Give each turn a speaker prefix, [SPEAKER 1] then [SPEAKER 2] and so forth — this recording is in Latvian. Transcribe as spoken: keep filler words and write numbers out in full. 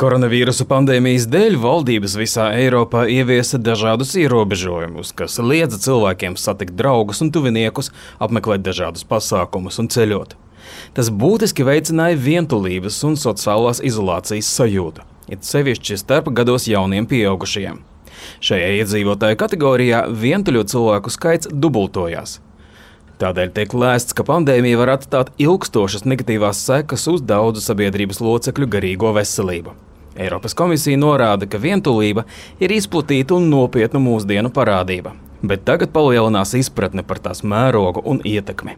[SPEAKER 1] Koronavīrusa pandēmijas dēļ valdības visā Eiropā ieviesa dažādus ierobežojumus, kas liedza cilvēkiem satikt draugus un tuviniekus, apmeklēt dažādus pasākumus un ceļot. Tas būtiski veicināja vientulības un sociālās izolācijas sajūtu, it sevišķi starp gados jauniem pieaugušajiem. Šajā iedzīvotāju kategorijā vientuļo cilvēku skaits dubultojās. Tādēļ tiek lēsts, ka pandēmija var atstāt ilgstošas negatīvās sekas uz daudzu sabiedrības locekļu garīgo veselību. Eiropas komisija norāda, ka vientulība ir izplatīta un nopietna mūsdienu parādība, bet tagad palielinās izpratne par tās mērogu un ietekmi.